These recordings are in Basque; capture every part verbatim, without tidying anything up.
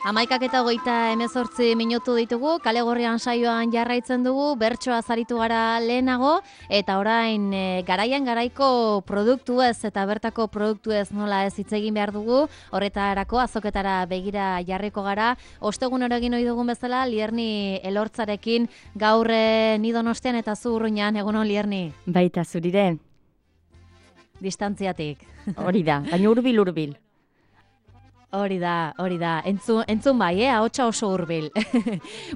Amaikak eta hogeita hemezortzi minutu ditugu, kale gorrian saioan jarraitzen dugu, bertsoa zaritu gara lehenago, eta orain e, garaian garaiko produktu ez eta bertako produktu ez nola ez hitz egin behar dugu, horretarako azoketara begira jarriko gara. Ostegun horregin ohi dugun bezala, Lierni Elortzarekin gaur e, ni Donostian eta zu Urruñan, egunon Lierni. Baita zurire. Distantziatik. Hori da, baina hurbil hurbil. Hori da, hori da. Entzun, entzun bai, eh? Ahotsa oso hurbil.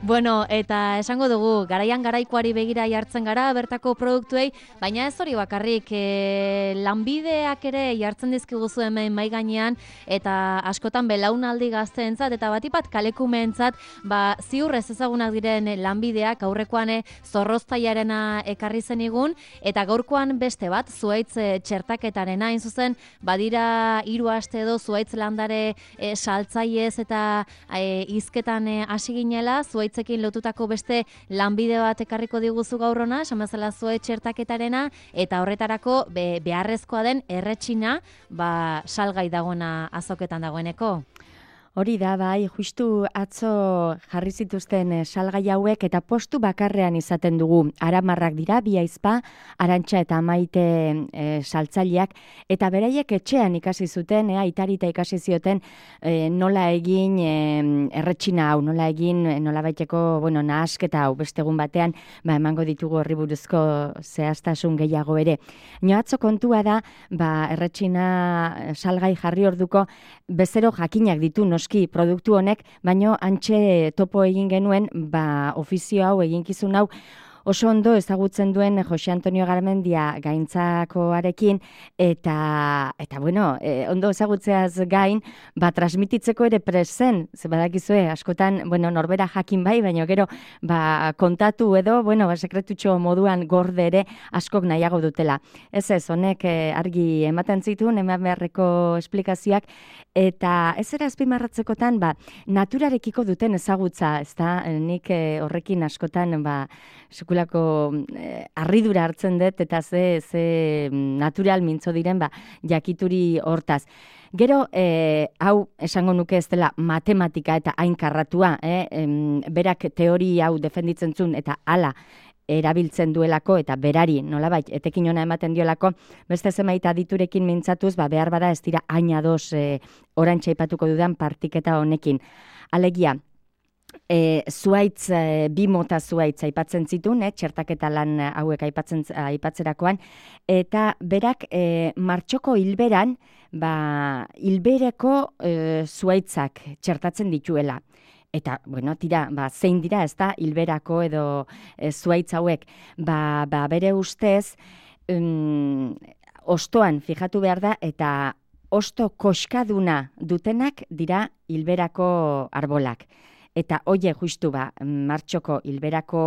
Bueno, eta esango dugu, garaian garaikoari begira jartzen gara, bertako produktuei, baina ez hori bakarrik, e, lanbideak ere jartzen dizkiguzu hemen mai gainean, eta askotan belaunaldi gazteentzat eta batipat kalekumeentzat, ba, ziur ez ezagunak diren lanbideak, aurrekoan zorroztaiarena ekarri zenigun, eta gaurkoan beste bat, zuhaitz txertaketarena, hain zuzen, badira hiru aste edo zuhaitz landare E, saltzaiez eta e, izketan hasi e, ginela, zuaitzekin lotutako beste lanbide bat ekarriko diguzu gaur hona, esan bezala zuhaitz txertaketarena, eta horretarako be, beharrezkoa den erretxina, ba, salgai dagoena azoketan dagoeneko. Hori da, bai, justu atzo jarri zituzten salgai hauek eta postu bakarrean izaten dugu. Aramarrak dira, bi aizpa, Arantxa eta Maite e, saltzaileak, eta beraiek etxean ikasi zuten, e, aitarita ikasi zioten e, nola egin e, erretxina hau, nola egin, nola baiteko, bueno, nahasketa hau, bestegun batean, ba, emango ditugu horri buruzko zehaztasun gehiago ere. Nio atzo kontua da, ba, erretxina salgai jarri orduko bezero jakinak ditu, no noski produktu honek, baino antxe topo egin genuen, ba, ofizio hau, eginkizun hau, oso ondo ezagutzen duen Jose Antonio Garmendia gaintzakoarekin, eta, eta bueno, e, ondo ezagutzeaz gain, ba, transmititzeko ere presen, ze badakizue, askotan, bueno, norbera jakin bai, baina gero, ba, kontatu edo, bueno, ba, sekretutxo moduan gorde ere askok nahiago dutela. Ez ez, honek e, argi ematen zituen, eman beharreko esplikazioak, eta ez era azpimarratzekotan, ba, naturarekiko duten ezagutza, ez da, nik e, horrekin askotan, ba, sekulako eh, harridura hartzen dut, eta ze, ze natural mintzo diren, ba, jakituri hortaz. Gero, eh, hau esango nuke ez dela matematika eta hainkarratua, eh? em, berak teori hau defenditzen zuen, eta hala erabiltzen duelako, eta berari, nolabait, etekin ona ematen diolako, beste zenbait aditurekin mintzatuz, ba, behar bada ez dira hain ados eh, orantxa aipatuko dudan partiketa honekin. Alegia, E, zuaitz, e, bi mota zuaitz aipatzen zituen, eh, txertaketa lan hauek aipatzen, aipatzerakoan, eta berak e, martxoko hilberan, ba, hilbereko e, zuaitzak txertatzen dituela. Eta, bueno, tira, ba, zein dira, ez da, hilberako edo e, zuaitz hauek, ba, ba, bere ustez, um, ostoan fijatu behar da, eta osto koskaduna dutenak dira hilberako arbolak. Eta hoie justu ba, martxoko hilberako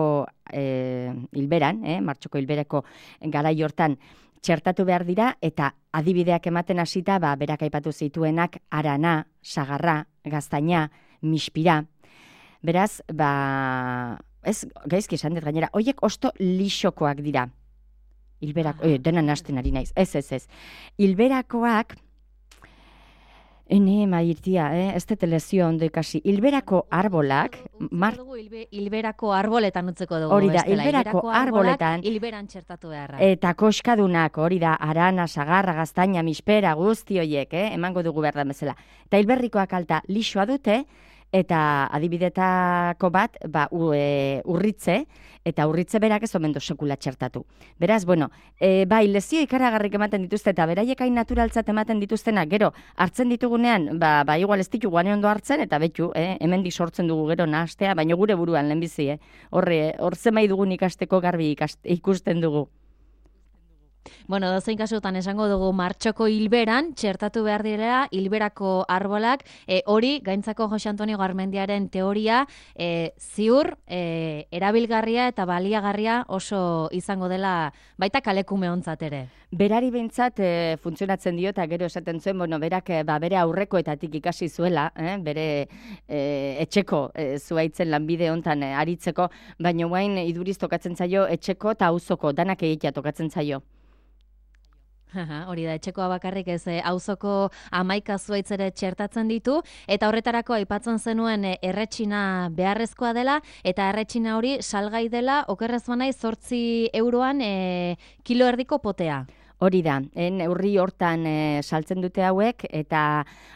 e, hilberan, eh, martxoko hilberako garai hortan txertatu behar dira, eta adibideak ematen hasita, ba, berak aipatu zituenak arana, sagarra, gaztaina, mispira. Beraz, ba, ez gaizki esan dut gainera, hoiek osto lixokoak dira. Hilberako, eh, dena nasten ari naiz, ez, ez, ez. Hilberakoak, Ene, mairtia, eh? Ez dut lezio ondo ikasi. Hilberako arbolak... Mar... Hilbe, hilberako arboletan utzeko dugu. Hori da, hilberako arboletan... Hilberan txertatu beharra. Eta koskadunak, hori da, arana, sagarra, gaztaina, mispera, guzti horiek, eh? Emango dugu behar da bezala. Eta hilberrikoak alta lixoa dute, eta adibidetako bat, ba, u, e, urritze, eta urritze berak ez omen do sekula txertatu. Beraz, bueno, e, bai, lezio ikaragarrik ematen dituzte, eta beraiek hain naturaltzat ematen dituztenak, gero, hartzen ditugunean, ba, ba igual ez ditugu ane ondo hartzen, eta betu, eh, hemendik sortzen dugu gero nahastea, baina gure buruan lehenbizi, eh? Horre, hor zemai dugun ikasteko garbi ikaste, ikusten dugu. Bueno, dozein kasutan esango dugu martxoko hilberan, txertatu behar direla, hilberako arbolak, e, hori, gaintzako Jose Antonio Garmendiaren teoria, e, ziur, e, erabilgarria eta baliagarria oso izango dela, baita kalekume ontzat ere. Berari behintzat e, funtzionatzen dio, eta gero esaten zuen, bueno, berak ba, bere aurrekoetatik ikasi zuela, eh, bere e, etxeko e, zuaitzen lanbide hontan e, aritzeko, baina guain iduriz tokatzen zaio etxeko eta auzoko, danak egitea tokatzen zaio. Hori da, etxekoa bakarrik ez, auzoko hamaika zuaitz ere txertatzen ditu, eta horretarako aipatzen zenuen erretxina beharrezkoa dela, eta erretxina hori salgai dela, okerrez banai, zortzi euroan e, kilo erdiko potea. Hori da, en neurri hortan e, saltzen dute hauek, eta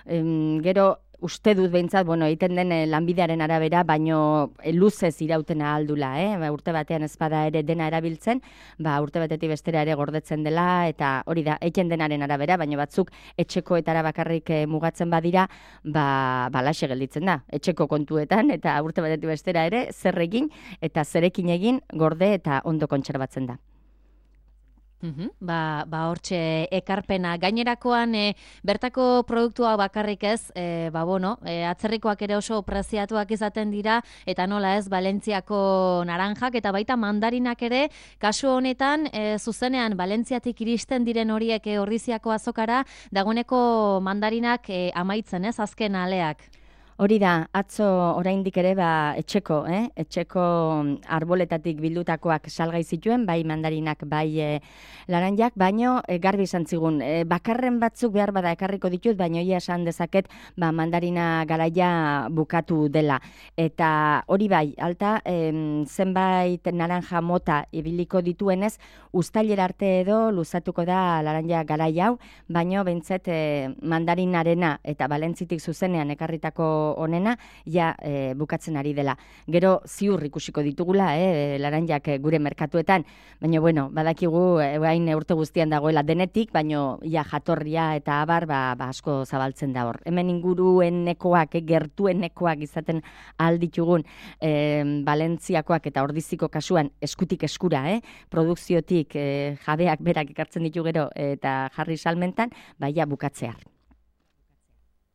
em, gero uste dut behintzat, bueno, egiten den lanbidearen arabera, baino luzez irautena aldula, eh? Ba, urte batean ezpada ere dena erabiltzen, ba, urte batetik bestera ere gordetzen dela, eta hori da, egiten denaren arabera, baino batzuk etxekoetara bakarrik eh, mugatzen badira, ba, balaxe gelditzen da, etxeko kontuetan, eta urte batetik bestera ere, zer egin, eta zerekin egin, gorde eta ondo kontserbatzen da. Uhum, ba, ba hortxe ekarpena. Gainerakoan e, bertako produktua bakarrik ez, e, ba bueno, e, atzerrikoak ere oso preziatuak izaten dira, eta nola ez, Valentziako naranjak, eta baita mandarinak ere, kasu honetan, e, zuzenean Valentziatik iristen diren horiek e, Ordiziako azokara, dagoeneko mandarinak e, amaitzen ez, azken aleak. Hori da, atzo oraindik ere ba, etxeko, eh? etxeko arboletatik bildutakoak salgai zituen, bai mandarinak, bai e, laranjak, baino e, garbi izan zigun. E, bakarren batzuk behar bada ekarriko ditut, baino ia esan dezaket ba, mandarina garaia bukatu dela. Eta hori bai, alta, em, zenbait naranja mota ibiliko dituenez, uztailera arte edo luzatuko da laranja garaia hau, baino behintzet e, mandarinarena eta Valentzitik zuzenean ekarritako honena, ja e, bukatzen ari dela. Gero ziur ikusiko ditugula, eh, laranjak gure merkatuetan, baina bueno, badakigu orain e, urte guztian dagoela denetik, baino ja jatorria eta abar ba, ba asko zabaltzen da hor. Hemen inguruenekoak, eh, gertuenekoak izaten alditugun eh, Valentziakoak eta Ordiziko kasuan eskutik eskura, eh, produkziotik eh, jabeak berak ekartzen ditu gero eta jarri salmentan, baia bukatzear.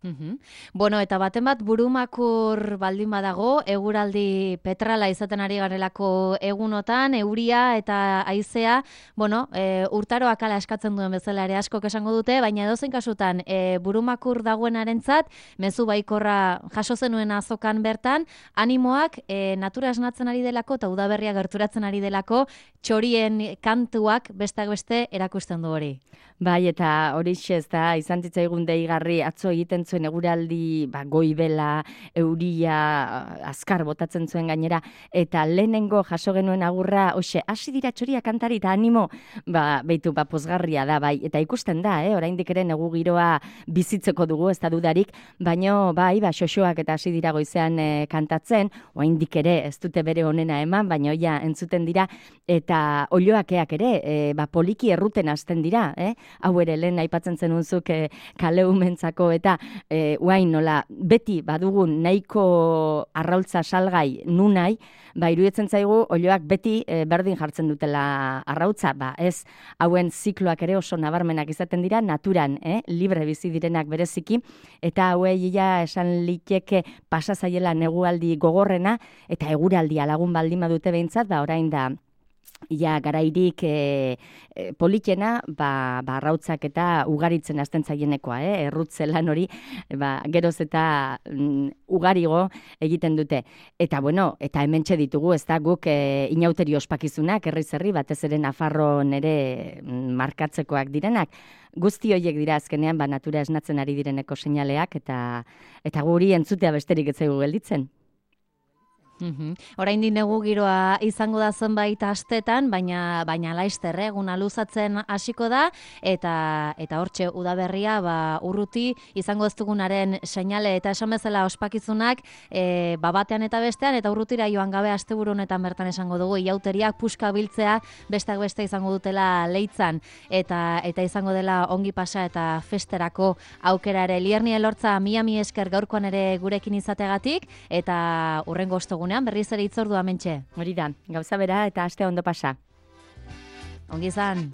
Uhum. Bueno, eta baten bat burumakur baldin badago, eguraldi petrala izaten ari garelako egunotan, euria eta haizea, bueno, e, urtaroak ala eskatzen duen bezala ere askok esango dute, baina edozein kasutan e, burumakur dagoenarentzat, mezu baikorra jaso zenuen azokan bertan, animoak e, natura esnatzen ari delako eta udaberria gerturatzen ari delako, txorien kantuak besteak beste erakusten du hori. Bai, eta horixe ez da, izan zitzaigun deigarri atzo egiten zuen eguraldi ba, goibela, euria, azkar botatzen zuen gainera, eta lehenengo jaso genuen agurra, hoxe, hasi dira txoria kantari eta animo, ba, beitu, ba, pozgarria da, bai, eta ikusten da, eh, oraindik ere negu giroa bizitzeko dugu, ez da dudarik, baino, bai, ba, xoxoak eta hasi dira goizean e, kantatzen, oraindik ere ez dute bere onena eman, baino, ja, entzuten dira, eta oioakeak ere, e, ba, poliki erruten hasten dira, eh, hau ere lehen aipatzen zenunzuk e, kaleumentzako eta e, uain nola beti badugun nahiko arraultza salgai nunai, ba iruditzen zaigu olioak beti e, berdin jartzen dutela arrautza, ba ez hauen zikloak ere oso nabarmenak izaten dira naturan, eh, libre bizi direnak bereziki, eta hauei ja esan liteke pasa zaiela negualdi gogorrena eta eguraldia lagun baldin badute behintzat, ba orain da ja garairik e, e, politena, ba, ba arrautzak eta ugaritzen hasten zaienekoa, eh? Errutze lan hori, ba, geroz eta mm, ugarigo egiten dute. Eta bueno, eta hementxe ditugu, ez da guk e, inauteri ospakizunak, herri zerri, batez ere Nafarron ere mm, markatzekoak direnak. Guzti horiek dira azkenean, ba, natura esnatzen ari direneko seinaleak, eta, eta guri entzutea besterik ez zaigu gelditzen. Uhum. Oraindik negu giroa izango da zenbait astetan, baina baina laister eguna luzatzen hasiko da eta eta hortxe udaberria ba urruti izango ez dugunaren seinale eta esan bezala ospakizunak e, ba batean eta bestean eta urrutira joan gabe asteburu honetan bertan esango dugu iauteriak puska biltzea besteak beste izango dutela Leitzan eta eta izango dela ongi pasa eta festerako aukera ere. Lierni Elortza mila mi esker gaurkoan ere gurekin izategatik eta hurrengo ostegunean berriz ere itzordua mentxe. Hori da, gauza bera eta aste ondo pasa. Ongi izan.